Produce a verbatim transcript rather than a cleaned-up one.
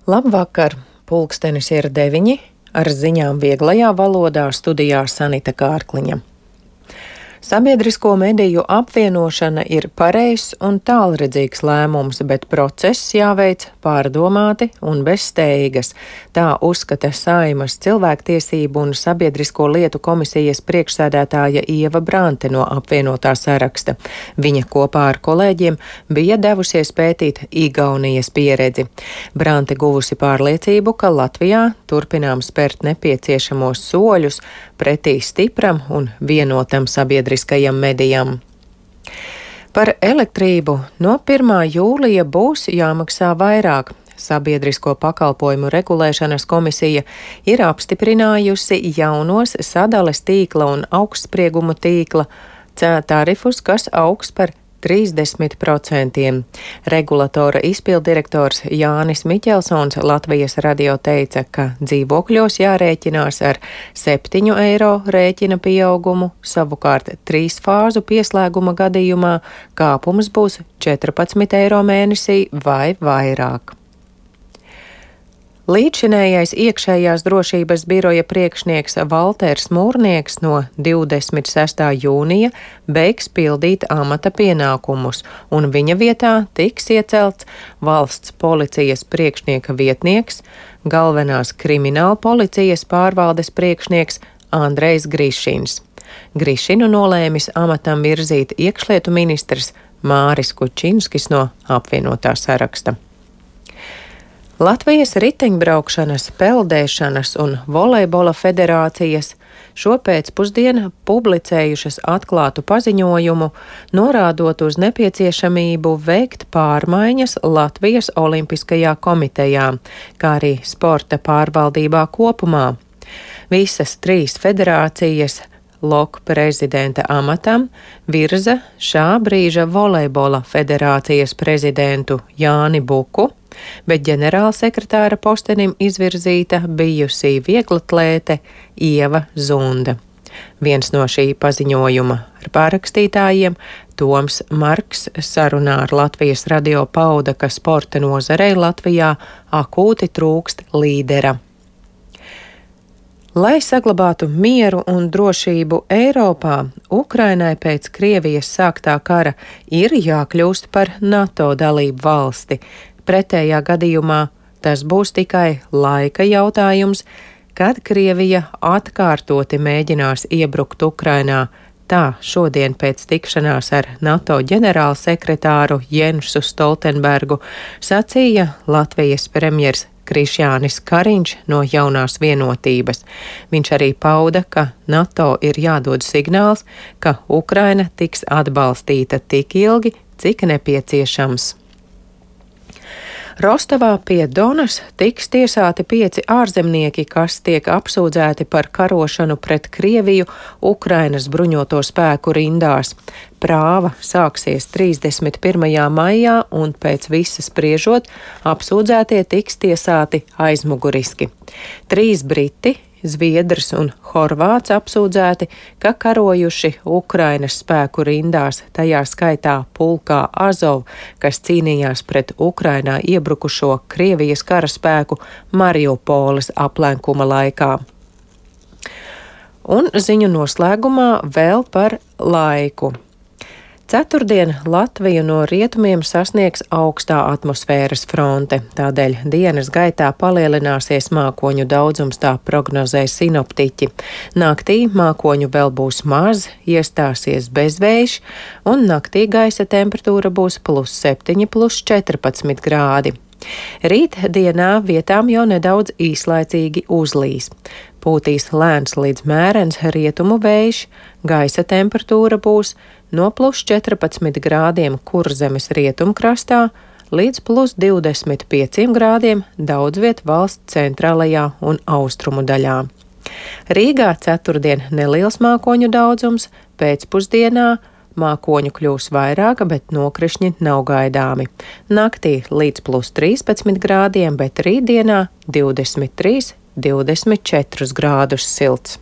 Labvakar! Pulkstenis ir deviņi, ar ziņām vieglajā valodā studijā Sanita Kārkliņa. Sabiedrisko mediju apvienošana ir pareizs un tālredzīgs lēmums, bet process jāveic pārdomāti un bez steigas. Tā uzskata Saeimas cilvēktiesību un sabiedrisko lietu komisijas priekšsēdētāja Ieva Brante no apvienotā saraksta. Viņa kopā ar kolēģiem bija devusies pētīt Igaunijas pieredzi. Brante guvusi pārliecību, ka Latvijā turpinām spērt nepieciešamos soļus pretī stipram un vienotam sabiedriskajam medijam. Par elektrību no pirmā jūlija būs jāmaksā vairāk. Sabiedrisko pakalpojumu regulēšanas komisija ir apstiprinājusi jaunos sadales tīkla un augstsprieguma tīkla tarifus, kas augs par trīsdesmit procentiem. Regulatora izpildirektors Jānis Miķelsons Latvijas radio teica, ka dzīvokļos jārēķinās ar septiņu eiro rēķina pieaugumu, savukārt trīs fāzu pieslēguma gadījumā kāpums būs četrpadsmit eiro mēnesī vai vairāk. Līdzšinējais iekšējās drošības biroja priekšnieks Valters Mūrnieks no divdesmit sestā jūnija beigs pildīt amata pienākumus, un viņa vietā tiks iecelts valsts policijas priekšnieka vietnieks, galvenās krimināla policijas pārvaldes priekšnieks Andrejs Grišins. Grišinu nolēmis amatam virzīt iekšlietu ministrs Māris Kučinskis no apvienotā saraksta. Latvijas riteņbraukšanas, peldēšanas un volejbola federācijas šopēcpusdienu publicējušas atklātu paziņojumu, norādot uz nepieciešamību veikt pārmaiņas Latvijas Olimpiskajā komitejā, kā arī sporta pārvaldībā kopumā. Visas trīs federācijas Lok prezidenta amatam virza šā brīža volejbola federācijas prezidentu Jāni Buku, bet ģenerālsekretāra postenim izvirzīta bijusī vieglatlēte Ieva Zunda. Viens no šī paziņojuma ar pārrakstītājiem, Toms Marks, sarunā ar Latvijas radio pauda, ka sporta nozarei Latvijā akūti trūkst līdera. Lai saglabātu mieru un drošību Eiropā, Ukrainai pēc Krievijas sāktā kara ir jākļūst par NATO dalību valsti. Pretējā gadījumā tas būs tikai laika jautājums, kad Krievija atkārtoti mēģinās iebrukt Ukrainā. Tā šodien pēc tikšanās ar NATO ģenerālsekretāru Jensu Stoltenbergu sacīja Latvijas premjers Krišjānis Kariņš no Jaunās vienotības. Viņš arī pauda, ka NATO ir jādod signāls, ka Ukraina tiks atbalstīta tik ilgi, cik nepieciešams. Rostovā pie Donas tiks tiesāti pieci ārzemnieki, kas tiek apsūdzēti par karošanu pret Krieviju Ukrainas bruņoto spēku rindās. Prāva sāksies trīsdesmit pirmajā maijā un pēc visa spriežot apsūdzētie tiks tiesāti aizmuguriski. Trīs briti, zviedrs un horvāts apsūdzēti, ka karojuši Ukrainas spēku rindās, tajā skaitā pulkā Azov, kas cīnījās pret Ukrainā iebrukušo Krievijas karaspēku Mariupoles aplenkuma laikā. Un ziņu noslēgumā vēl par laiku. Ceturtdien Latviju no rietumiem sasniegs augstā atmosfēras fronte, tādēļ dienas gaitā palielināsies mākoņu daudzums, tā prognozē sinoptiķi. Naktī mākoņu vēl būs maz, iestāsies bezvējš, un naktī gaisa temperatūra būs plus septiņi, plus četrpadsmit grādi. Rīt dienā vietām jau nedaudz īslaicīgi uzlīs. Pūtīs lēns līdz mērens rietumu vējš, gaisa temperatūra būs no plus četrpadsmit grādiem Kurzemes rietumkrastā līdz plus divdesmit pieciem grādiem daudz viet valsts centrālajā un austrumu daļā. Rīgā ceturtdien neliels mākoņu daudzums, pēcpusdienā mākoņu kļūs vairāk, bet nokrišņi nav gaidāmi. Naktī līdz plus trīspadsmit grādiem, bet rītdienā divdesmit trīs, divdesmit četrus grādus silts.